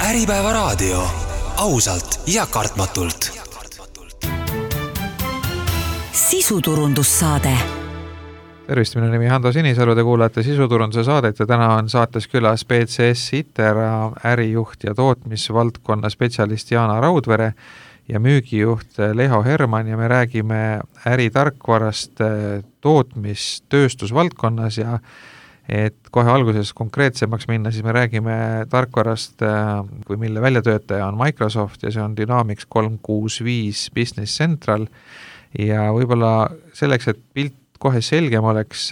Äripäeva raadio. Ausalt ja kartmatult. Sisuturundussaade. Tervist, minu nimi Hando Sinisalu, te kuulate sisuturunduse saadet ja täna on saates külas BCS Itera ärijuht ja tootmisvaldkonna spetsialist Jaana Raudvere ja müügijuht Leho Herman ja me räägime äritarkvarast tootmistööstusvaldkonnas ja et kohe alguses konkreetsemaks minna, siis me räägime tarkvarast, kui mille väljatöötaja on Microsoft ja see on Dynamics 365 Business Central ja võib-olla selleks, et pilt kohe selgem oleks,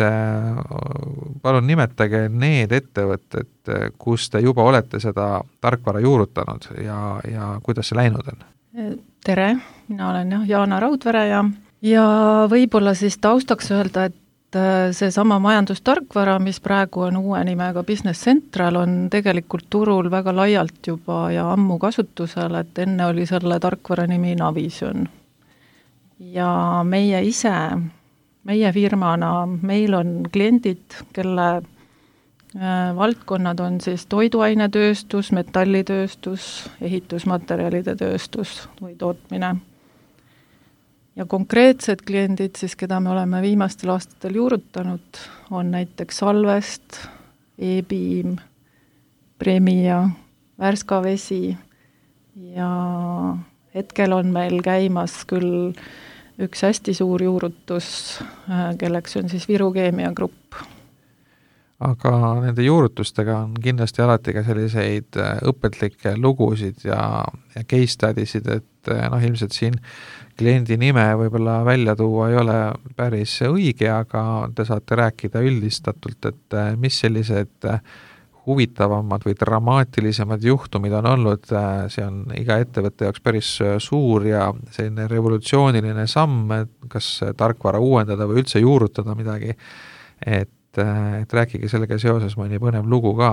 palun nimetage need ettevõtted, kus te juba olete seda tarkvara juurutanud ja kuidas see läinud on? Tere, mina olen Jaana Raudvere ja võib-olla siis taustaks öelda, et see sama majandustarkvara, mis praegu on uue nimega Business Central, on tegelikult turul väga laialt juba ja ammu kasutusel, et enne oli selle tarkvara nimi Navision. Ja meie firmana, meil on kliendid, kelle valdkonnad on siis toiduainetööstus, metallitööstus, ehitusmaterjalide tööstus või tootmine. Ja konkreetsed kliendid, siis, keda me oleme viimastel aastatel juurutanud, on näiteks Salvest, E-Beam, Premia, Värska Vesi ja hetkel on meil käimas küll üks hästi suur juurutus, kelleks on siis Viru Keemia Grupp. Aga nende juurutustega on kindlasti alati ka selliseid õpetlikke lugusid ja case studisid, et ilmselt siin kliendi nime võib-olla välja tuua ei ole päris õige, aga te saate rääkida üldistatult, et mis sellised huvitavamad või dramaatilisemad juhtumid on olnud, see on iga ettevõtte jaoks päris suur ja selline revolutsiooniline samm, kas tarkvara uuendada või üldse juurutada midagi, et rääkige sellega seoses mõni põnev lugu ka.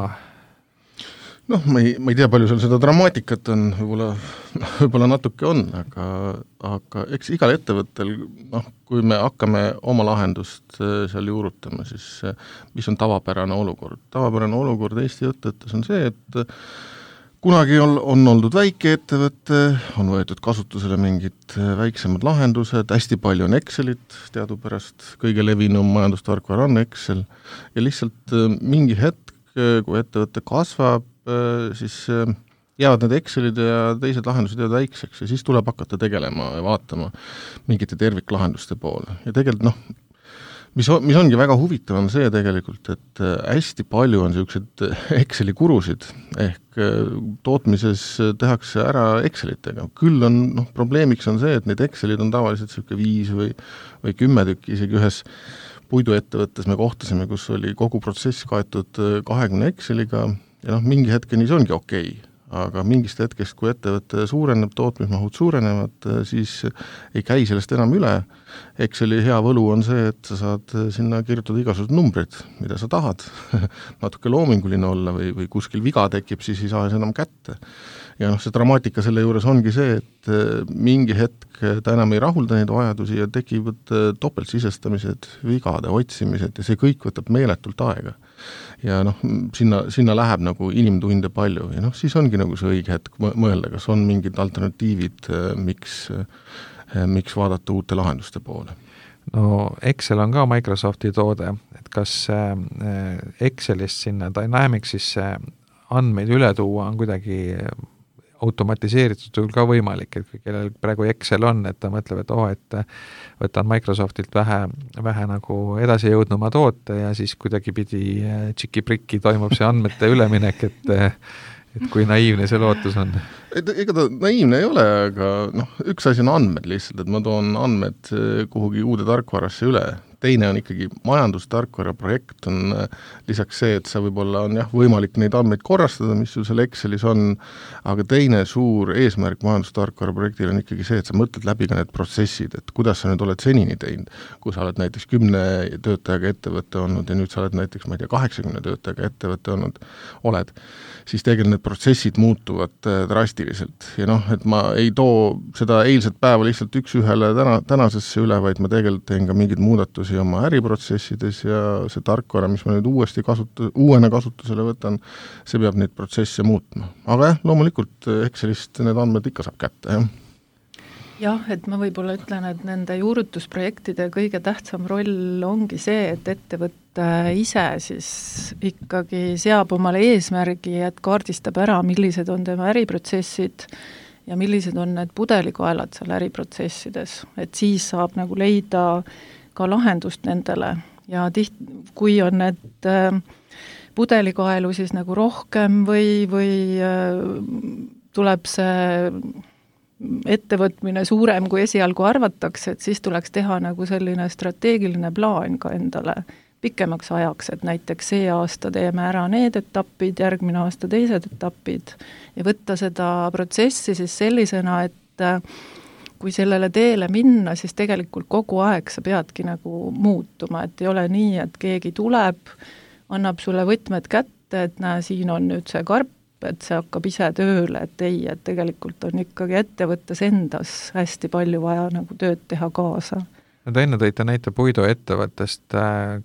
Ma ei tea, palju seal seda dramaatikat on, võib-olla natuke on, aga eks igal ettevõttel, kui me hakkame oma lahendust seal juurutama, siis mis on tavapärane olukord? Tavapärane olukord Eesti ettevõttes on see, et kunagi on oldud väike ettevõte, on võetud kasutusele mingid väiksemad lahendused, hästi palju on Excelit, teadupärast kõige levinum majandustarkvara on Excel ja lihtsalt mingi hetk, kui ettevõte kasvab, siis jäävad need Excelid ja teised lahendused jäävad väikseks ja siis tuleb hakata tegelema ja vaatama mingite terviklahenduste poole. Ja tegelikult mis ongi väga huvitav on see tegelikult, et hästi palju on sellised Exceli kurusid ehk tootmises tehakse ära Excelitega. Küll on, probleemiks on see, et need Excelid on tavaliselt 5 või 10 tükki, isegi ühes puiduettevõttes me kohtasime, kus oli kogu protsess kaetud 20 Exceliga ja mingi hetkeni see ongi okei. Aga mingist hetkest, kui ettevõte suureneb, tootmismahud suurenevad, siis ei käi sellest enam üle. Exceli hea võlu on see, et sa saad sinna kirjutada igasugused numbrid, mida sa tahad, natuke loominguline olla või kuskil viga tekib, siis ei saa enam kätte. Ja see dramaatika selle juures ongi see, et mingi hetk ta enam ei rahulda neid vajadusi ja tekivad topeltsisestamised, vigade otsimised ja see kõik võtab meeletult aega. Ja sinna läheb nagu inimtunde palju ja siis ongi nagu see õige hetk mõelda, kas on mingid alternatiivid, miks vaadata uute lahenduste poole. Excel on ka Microsofti toode, et kas Excelist sinna Dynamicsisse andmeid üle tuua on kuidagi automatiseeritud ka võimalik, et kellel praegu Excel on, et ta mõtleb, et võtan Microsoftilt vähe nagu edasi jõudnuma toote ja siis kuidagi pidi tšiki-prikki toimub see andmete üleminek, et kui naiivne see lootus on. Ega ta naiivne ei ole, aga üks asi on andmed lihtsalt, et ma toon andmed kuhugi uude tarkvarasse üle. Teine on ikkagi majandustarkvara projekt on lisaks see, et sa võib-olla on võimalik neid andmeid korrastada, mis sul seal Excelis on, aga teine suur eesmärk majandustarkvara projektil on ikkagi see, et sa mõtled läbi ka need protsessid, et kuidas sa nüüd oled senini teinud, kui sa oled näiteks 10 töötajaga ettevõtte olnud ja nüüd sa oled näiteks, 80 töötajaga ettevõtte oled, siis tegelikult need protsessid muutuvad drastiliselt ja et ma ei too seda eilset päeva lihtsalt üks ühele tänasesse üle, vaid ma tegelikult teen ka mingeid muudatusi muutusi oma äriprotsessides ja see tarkvara, mis ma nüüd uuena kasutusele võtan, see peab neid protsesse muutma. Aga jah, loomulikult Excelist need andmed ikka saab kätte, jah. Jah, et ma võib-olla ütlen, et nende juurutusprojektide kõige tähtsam roll ongi see, et ettevõtte ise siis ikkagi seab omale eesmärgi, et kaardistab ära, millised on tema äriprotsessid ja millised on need pudelikaelad seal äriprotsessides, et siis saab nagu leida ka lahendust nendele ja kui on need pudelikaelu siis nagu rohkem või tuleb see ettevõtmine suurem, kui esialgu arvatakse, et siis tuleks teha nagu selline strateegiline plaan ka endale pikemaks ajaks, et näiteks see aasta teeme ära need etapid, järgmine aasta teised etapid ja võtta seda protsessi siis sellisena, et kui sellele teele minna, siis tegelikult kogu aeg sa peadki nagu muutuma, et ei ole nii, et keegi tuleb, annab sulle võtmed kätte, et näe, siin on nüüd see karp, et see hakkab ise tööle, et ei, et tegelikult on ikkagi ettevõttes endas hästi palju vaja nagu tööd teha kaasa. No te enne tõite näite puiduettevõttest,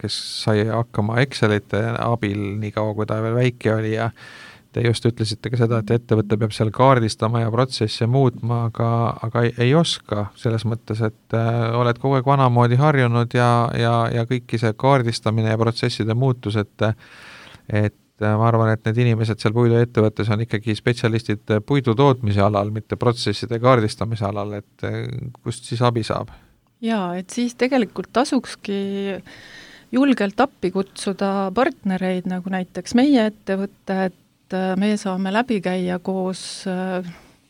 kes sai hakkama Excelite abil nii kaua, kui ta veel väike oli ja te just ütlesite ka seda, et ettevõte peab seal kaardistama ja protsesse muutma, aga ei oska selles mõttes, et oled kogu aeg vanamoodi harjunud ja kõiki see kaardistamine ja protsesside muutus, et ma arvan, et need inimesed seal puiduettevõttes on ikkagi spetsialistid puidu tootmise alal, mitte protsesside kaardistamise alal, et kust siis abi saab? Jaa, et siis tegelikult tasukski julgelt appi kutsuda partnereid, nagu näiteks meie ettevõtte, et me saame läbi käia koos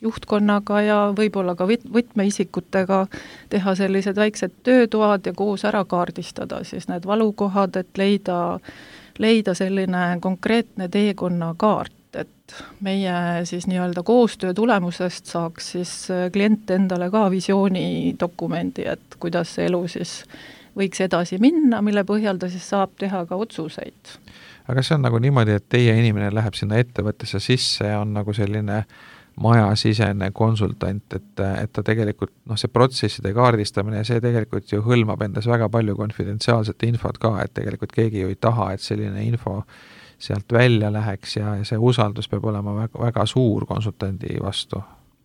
juhtkonnaga ja võib-olla ka võtmeisikutega teha sellised väiksed töötoad ja koos ära kaardistada siis need valukohad, et leida selline konkreetne teekonnakaart, et meie siis nii-öelda koostöö tulemusest saaks siis klient endale ka visioonidokumendi, et kuidas see elu siis võiks edasi minna, mille põhjal ta siis saab teha ka otsuseid. Aga see on nagu niimoodi, et teie inimene läheb sinna ettevõttesse sisse ja on nagu selline majasisene konsultant, et ta tegelikult, see protsesside kaardistamine, see tegelikult ju hõlmab endas väga palju konfidentsiaalset infot ka, et tegelikult keegi ju ei taha, et selline info sealt välja läheks ja see usaldus peab olema väga, väga suur konsultandi vastu.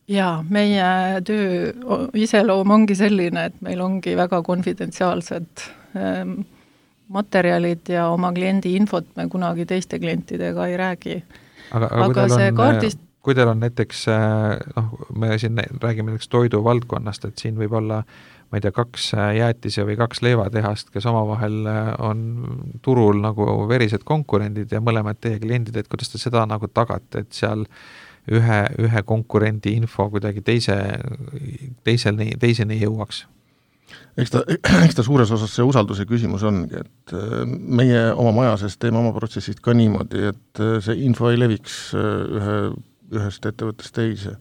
Jaa, meie töö iseloom ongi selline, et meil ongi väga konfidentsiaalsed materjalid ja oma kliendi infot me kunagi teiste klientidega ei räägi. Aga see kui teil on näiteks, me siin räägime näiteks toidu valdkonnast, et siin võib olla, ma ei tea, 2 jäätise või 2 leivatehast, kes omavahel on turul nagu verised konkurendid ja mõlemad teie kliendid, et kuidas te seda nagu tagate, et seal ühe konkurendi info kuidagi teiseni jõuaks? Eks ta suures osas see usalduse küsimus ongi, et meie oma maja sees teeme oma protsessid ka niimoodi, et see info ei leviks ühest ettevõttest teise.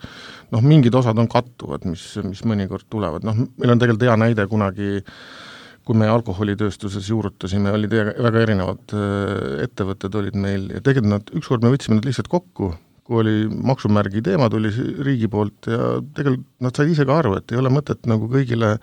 Mingid osad on kattuvad, mis mõnikord tulevad. Meil on tegelikult hea näide kunagi, kui me alkoholitööstuses juurutasime, olid väga erinevad ettevõtted olid meil ja tegelikult ükskord me võtsime nad lihtsalt kokku, kui oli maksumärgi teema, tuli riigi poolt ja tegelikult nad said ise ka aru, et ei ole mõtet nagu kõigile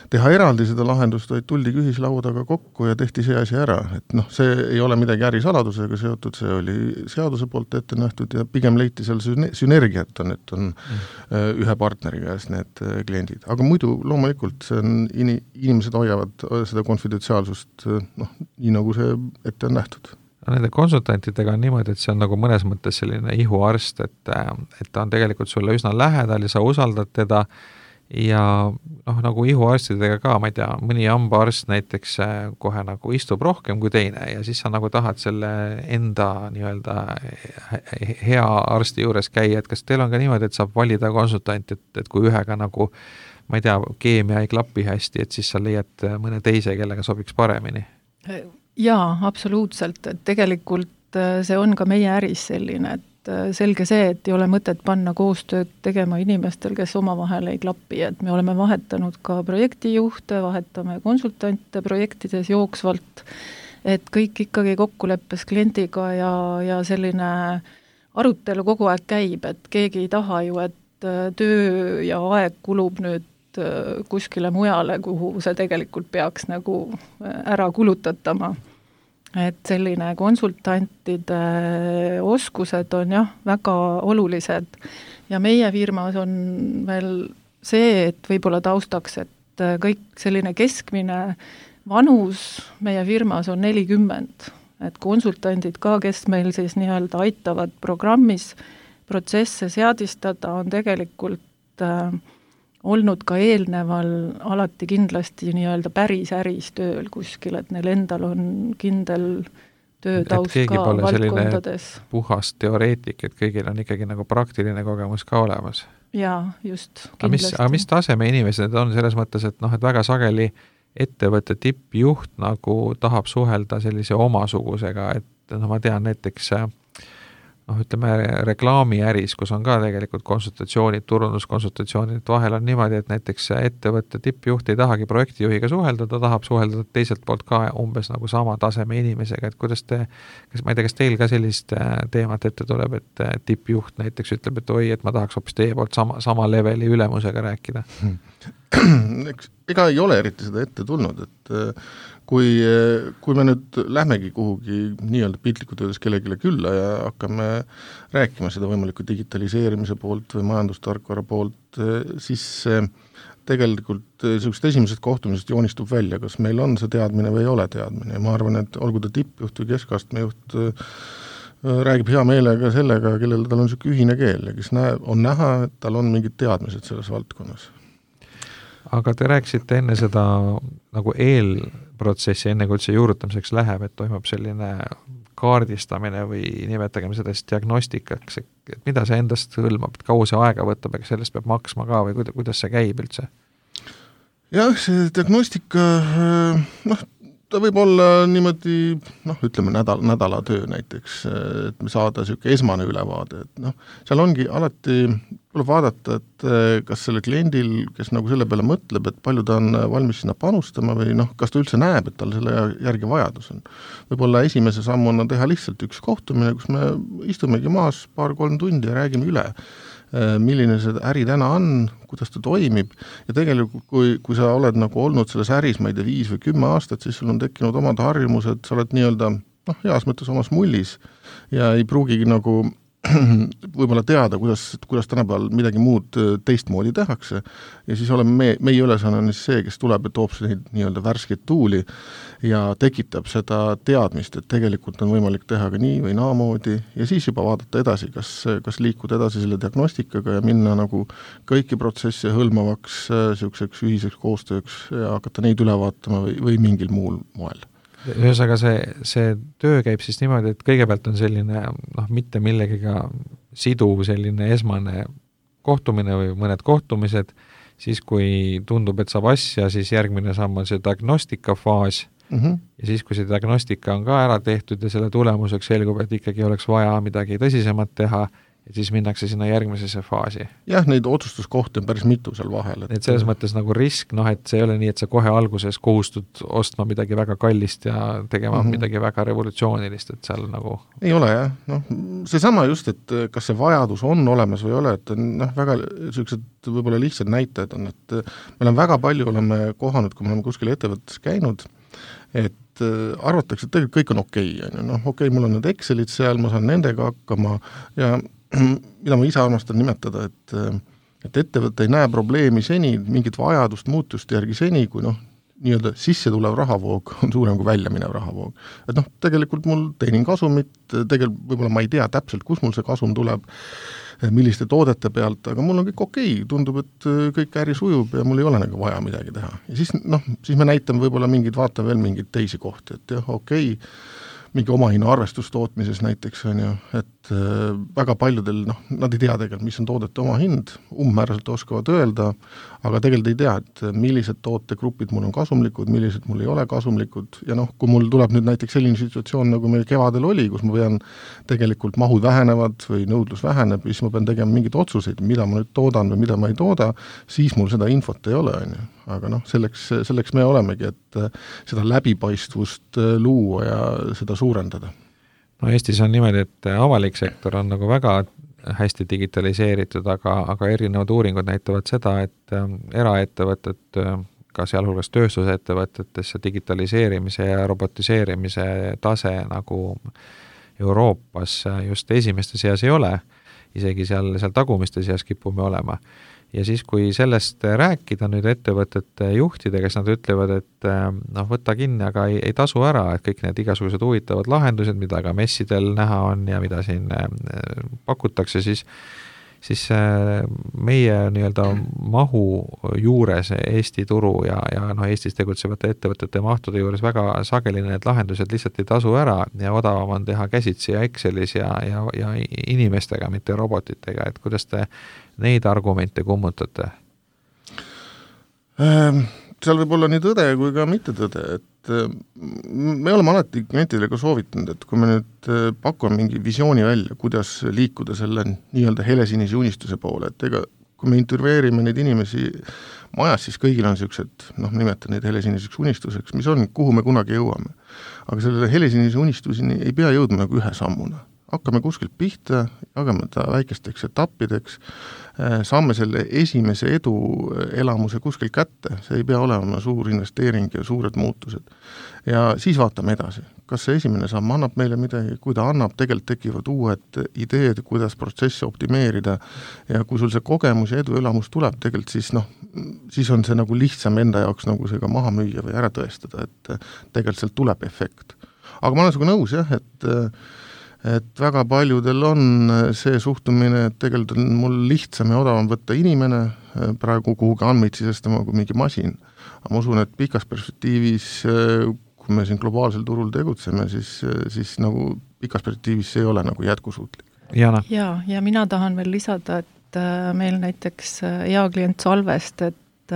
teha eraldi seda lahendust, vaid tuldi ühislaudaga kokku ja tehti see asi ära. Et see ei ole midagi ärisaladusega seotud, see oli seaduse poolt ette nähtud ja pigem leiti seal sünergiat on, et on ühe partneri käes need kliendid. Aga muidu loomulikult see on, inimesed hoiavad seda konfidentsiaalsust nii nagu see ette on nähtud. Nende konsultantidega on niimoodi, et see on nagu mõnes mõttes selline ihuarst, et ta on tegelikult sulle üsna lähedal ja sa usaldad teda ja nagu ihuarstidega ka, ma ei tea, mõni hambaarst näiteks kohe nagu istub rohkem kui teine ja siis sa nagu tahad selle enda nii-öelda hea arsti juures käia, et kas teil on ka niimoodi, et saab valida konsultant, et kui ühega nagu, ma ei tea, keemia ei klapi hästi, et siis sa leiad mõne teise, kellega sobiks paremini? Jaa, absoluutselt, et tegelikult see on ka meie äris selline, et selge see, et ei ole mõtet panna koostööd tegema inimestel, kes omavahel ei klapi, et me oleme vahetanud ka projektijuhte, vahetame konsultante projektides jooksvalt, et kõik ikkagi kokkuleppes kliendiga ja selline arutelu kogu aeg käib, et keegi ei taha ju, et töö ja aeg kulub nüüd kuskile mujale, kuhu see tegelikult peaks nagu ära kulutatama. Et selline konsultantide oskused on jah, väga olulised ja meie firmas on veel see, et võib-olla taustaks, et kõik selline keskmine vanus meie firmas on 40, et konsultandid ka, kes meil siis nii-öelda aitavad programmis protsesse seadistada, on tegelikult olnud ka eelneval alati kindlasti nii-öelda päris äris tööl kuskil, et neil endal on kindel töötaust ka valdkondades. Puhas teoreetik, et kõigil on ikkagi nagu praktiline kogemus ka olemas. Jaa, just, kindlasti. Aga mis taseme inimesed on selles mõttes, et et väga sageli ettevõtte tippjuht nagu tahab suhelda sellise omasugusega, et ma tean näiteks ütleme reklaamiäris, kus on ka tegelikult konsultatsioonid, turunduskonsultatsioonid, vahel on niimoodi, et näiteks ettevõtte tippjuht ei tahagi projektijuhiga suhelda, ta tahab suhelda teiselt poolt ka umbes nagu sama taseme inimesega, et kuidas ma ei tea, kas teil ka sellist teemat ette tuleb, et tippjuht näiteks ütleb, et oi, et ma tahaks hoopis teie poolt sama leveli ülemusega rääkida? Ega ei ole eriti seda ette tulnud, et kui me nüüd lähmegi kuhugi nii-öelda piltlikult öeldes kellegile külla ja hakkame rääkima seda võimaliku digitaliseerimise poolt või majandustarkvara poolt, siis tegelikult sellisest esimesest kohtumisest joonistub välja, kas meil on see teadmine või ei ole teadmine ja ma arvan, et olgu ta tippjuht või keskastme juht, räägib hea meelega sellega, kellel tal on selline ühine keel ja kes on näha, et tal on mingid teadmised selles valdkonnas. Aga te rääkisite enne seda nagu eelprotsessi, enne kui üldse juurutamiseks läheb, et toimub selline kaardistamine või nimetagem sellest diagnostikaks, et mida see endast hõlmab, et kaua see aega võtab, ega sellest peab maksma ka või kuidas see käib üldse? Jah, see diagnostika, ta võib olla niimoodi, ütleme nädala töö näiteks, et me saada selline esmane ülevaade, et seal ongi alati tuleb vaadata, et kas selle kliendil, kes nagu selle peale mõtleb, et palju ta on valmis sinna panustama või kas ta üldse näeb, et tal selle järgi vajadus on. Võib-olla esimese sammuna teha lihtsalt üks kohtumine, kus me istumegi maas 2-3 tundi ja räägime üle, milline see äri täna on, kuidas ta toimib ja tegelikult kui sa oled nagu olnud selles äris, ma ei tea, 5 või 10 aastat, siis sul on tekkinud omad harjumused, sa oled nii-öelda heas mõttes omas mullis ja ei pruugigi nagu võib-olla teada, kuidas tänapäeval midagi muud teistmoodi tehakse ja siis oleme meie ülesanne on see, kes tuleb ja toob neid nii-öelda värskeid tuuli ja tekitab seda teadmist, et tegelikult on võimalik teha ka nii või naamoodi ja siis juba vaadata edasi, kas liikuda edasi selle diagnostikaga ja minna nagu kõiki protsesse hõlmavaks selliseks ühiseks koostööks ja hakata neid üle vaatama või mingil muul moel. Ühesõnaga see töö käib siis niimoodi, et kõigepealt on selline mitte millegiga siduv selline esmane kohtumine või mõned kohtumised, siis kui tundub, et saab asja, siis järgmine samm on see diagnostikafaas ja siis, kui see diagnostika on ka ära tehtud ja selle tulemuseks selgub, et ikkagi oleks vaja midagi tõsisemat teha, et siis minnakse sinna järgmisesse faasi. Jah, neid otsustuskohti on päris mitu seal vahel. Et selles mõttes nagu risk, et see ei ole nii, et sa kohe alguses kohustud ostma midagi väga kallist ja tegema midagi väga revolutsioonilist, et seal nagu... Ei ole jah, seesama just, et kas see vajadus on olemas või ei ole, et väga sellised võib-olla lihtsad näitajad on, et me väga palju oleme kohanud, kui me oleme kuskil ettevõttes käinud, et arvatakse, et tegelikult kõik on okei, mul on need Excelid seal, ma saan nendega hakkama ja mida ma ise armastan nimetada, et ettevõte ei näe probleemi seni, mingit vajadust muutust järgi seni, kui nii-öelda sisse tulev rahavoog on suurem kui välja minev rahavoog. Et tegelikult mul teenin kasumit, tegelikult võib-olla ma ei tea täpselt, kus mul see kasum tuleb, milliste toodete pealt, aga mul on kõik okei, tundub, et kõik äri sujub ja mul ei ole nagu vaja midagi teha. Ja siis me näitame võib-olla vaatame veel mingeid teisi kohti, et jah, okei, mingi omahinna arvestustootmises näiteks on ju, et väga paljudel, nad ei tea tegelikult, mis on toodete omahind, umbmääraselt oskavad öelda, aga tegelikult ei tea, et millised tootegrupid mul on kasumlikud, millised mul ei ole kasumlikud ja kui mul tuleb nüüd näiteks selline situatsioon, nagu meil kevadel oli, kus ma pean tegelikult mahud vähenevad või nõudlus väheneb, siis ma pean tegema mingeid otsuseid, mida ma nüüd toodan või mida ma ei tooda, siis mul seda infot ei ole, on ju. Aga selleks me olemegi, et seda läbipaistvust luua ja seda suurendada. Eestis on niimoodi, et avalik sektor on nagu väga hästi digitaliseeritud, aga erinevad uuringud näitavad seda, et eraettevõtted, ka sealhulgas tööstusettevõtetesse digitaliseerimise ja robotiseerimise tase nagu Euroopas just esimeste seas ei ole, isegi seal tagumiste seas kipume olema. Ja siis, kui sellest rääkida nüüd ettevõtete juhtidega, kes nad ütlevad, et võtta kinni, aga ei tasu ära, et kõik need igasugused huvitavad lahendused, mida ka messidel näha on ja mida siin pakutakse, siis meie nii-öelda mahu juures Eesti turu ja Eestis tegutsevate ettevõtete mahtude juures väga sageli need lahendused lihtsalt ei tasu ära ja odavam on teha käsitsi ja Excelis ja inimestega, mitte robotitega, et kuidas te neid argumente kummutate? Seal võib olla nii tõde kui ka mitte tõde, et me oleme alati klientidele ka soovitanud, et kui me nüüd pakume mingi visiooni välja, kuidas liikuda selle nii-öelda helesinise unistuse poole, et ega kui me intervjueerime neid inimesi majas, siis kõigil on niisugused, nimetan neid helesiniseks unistuseks, mis on, kuhu me kunagi jõuame. Aga selle helesinise unistuseni ei pea jõudma nagu ühe sammuna. Hakkame kuskilt pihta, jagame ta väikesteks etappideks, saame selle esimese edu elamuse kuskil kätte, see ei pea olema suur investeering ja suured muutused. Ja siis vaatame edasi, kas see esimene samm annab meile midagi, kui ta annab, tegelikult tekivad uued ideed, kuidas protsessi optimeerida ja kui sul see kogemus ja edu elamus tuleb, tegelikult siis on see nagu lihtsam enda jaoks nagu see ka maha müüa või ära tõestada, et tegelikult sealt tuleb efekt. Aga ma olen sinuga nõus jah, et väga paljudel on see suhtumine, et tegelikult on mul lihtsam ja odavam võtta inimene praegu kuhugi andmeid sisestama kui mingi masin. Aga ma usun, et pikas perspektiivis, kui me siin globaalsel turul tegutseme, siis nagu pikas perspektiivis see ei ole nagu jätkusuutlik. Jana? Ja mina tahan veel lisada, et meil näiteks hea klient Salvest, et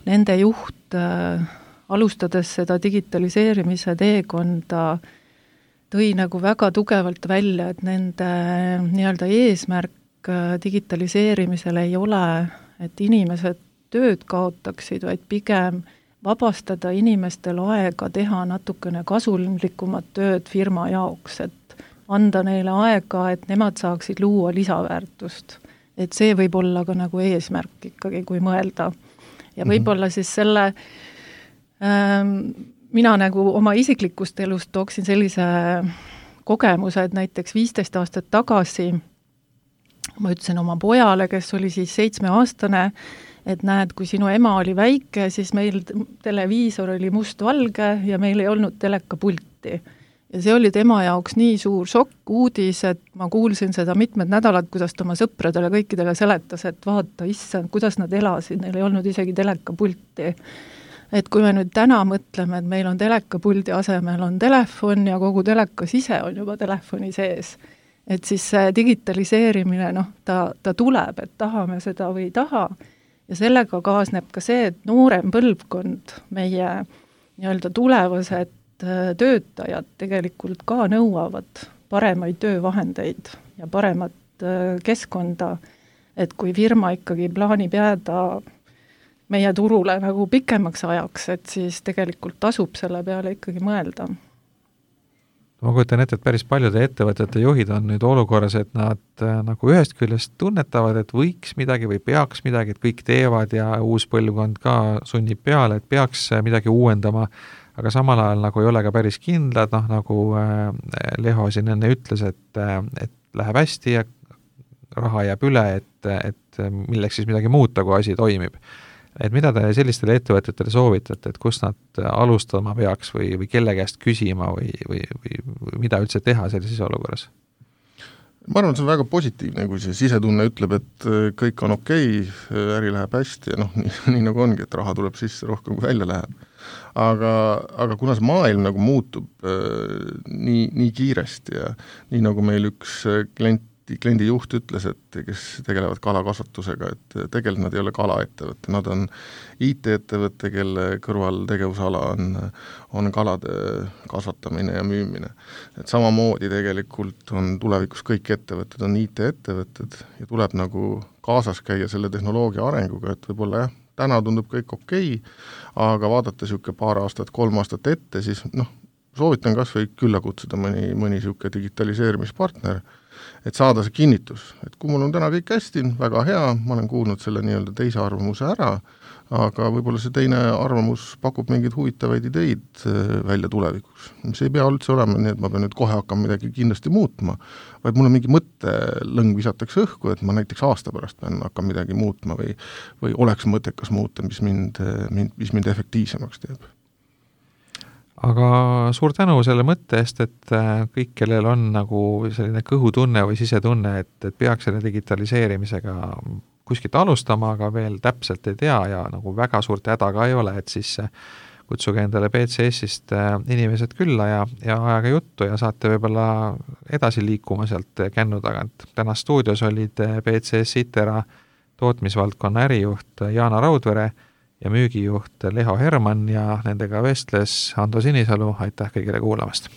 nende juht alustades seda digitaliseerimise teekonda tõi nagu väga tugevalt välja, et nende nii-öelda eesmärk digitaliseerimisel ei ole, et inimesed tööd kaotaksid, vaid pigem vabastada inimestel aega teha natukene kasulikumat tööd firma jaoks, et anda neile aega, et nemad saaksid luua lisaväärtust. Et see võib olla ka nagu eesmärk ikkagi, kui mõelda. Ja võib-olla siis selle mina nagu oma isiklikust elust tooksin sellise kogemuse, et näiteks 15 aastat tagasi ma ütlesin oma pojale, kes oli siis 7-aastane, et näed, kui sinu ema oli väike, siis meil televiisor oli mustvalge ja meil ei olnud telekapulti. Ja see oli tema jaoks nii suur šokk, uudis, et ma kuulsin seda mitmed nädalad, kuidas ta oma sõpradele kõikidele seletas, et vaata, issand, kuidas nad elasid, neil ei olnud isegi telekapulti. Et kui me nüüd täna mõtleme, et meil on telekapuldi asemel on telefon ja kogu telekas ise on juba telefoni sees, et siis see digitaliseerimine, ta tuleb, et tahame seda või ei taha. Ja sellega kaasneb ka see, et noorem põlvkond, meie nii-öelda tulevased töötajad tegelikult ka nõuavad paremaid töövahendeid ja paremat keskkonda, et kui firma ikkagi plaanib jääda meie turule nagu pikemaks ajaks, et siis tegelikult tasub selle peale ikkagi mõelda. Ma kujutan ette, et päris paljude ettevõtete juhid on nüüd olukorras, et nad nagu ühest küljest tunnetavad, et võiks midagi või peaks midagi, et kõik teevad ja uus põlvkond ka sunnib peale, et peaks midagi uuendama, aga samal ajal nagu ei ole ka päris kindlad, nagu Leho siin enne ütles, et läheb hästi ja raha jääb üle, et milleks siis midagi muuta, kui asi toimib. Et mida te sellistele ettevõtetele soovitate, et kus nad alustama peaks või kelle käest küsima või mida üldse teha sellises olukorras? Ma arvan, et see on väga positiivne, kui see sisetunne ütleb, et kõik on okei, äri läheb hästi ja nii nagu ongi, et raha tuleb sisse rohkem kui välja läheb. Aga kuna see maailm nagu muutub nii kiiresti ja nii nagu meil üks kliendi juht ütles, et kes tegelevad kalakasvatusega, et tegelikult nad ei ole kalaettevõtte, nad on IT-ettevõtte, kelle kõrval tegevusala on kalade kasvatamine ja müümine. Et samamoodi tegelikult on tulevikus kõik ettevõtted on IT-ettevõtted ja tuleb nagu kaasas käia selle tehnoloogia arenguga, et võib-olla jah, täna tundub kõik okei, aga vaadata siuke paar aastat, 3 aastat ette, siis soovitan kas või külla kutsuda mõni siuke digitaliseerimispartner et saada see kinnitus, et kui mul on täna kõik hästi, väga hea, ma olen kuulnud selle nii-öelda teise arvamuse ära, aga võib-olla see teine arvamus pakub mingeid huvitavaid ideid välja tulevikuks. See ei pea üldse olema nii, et ma pean nüüd kohe hakkama midagi kindlasti muutma, vaid mul on mingi mõttelõng visatakse õhku, et ma näiteks aasta pärast pean hakkama midagi muutma või oleks mõttekas muuta, mis mind efektiivsemaks teeb. Aga suur tänu selle mõtte eest, et kõik, kellel on nagu selline kõhutunne või sisetunne, et peaks selle digitaliseerimisega kuskilt alustama, aga veel täpselt ei tea ja nagu väga suurt häda ka ei ole, et siis kutsuge endale BCS-ist inimesed külla ja ajaga juttu ja saate võib-olla edasi liikuma sealt kännu tagant. Täna stuudios olid BCS Itera tootmisvaldkonna ärijuht Jaana Raudvere ja müügijuht Leho Herman ja nendega vestles Ando Sinisalu, aitäh kõigile kuulamast!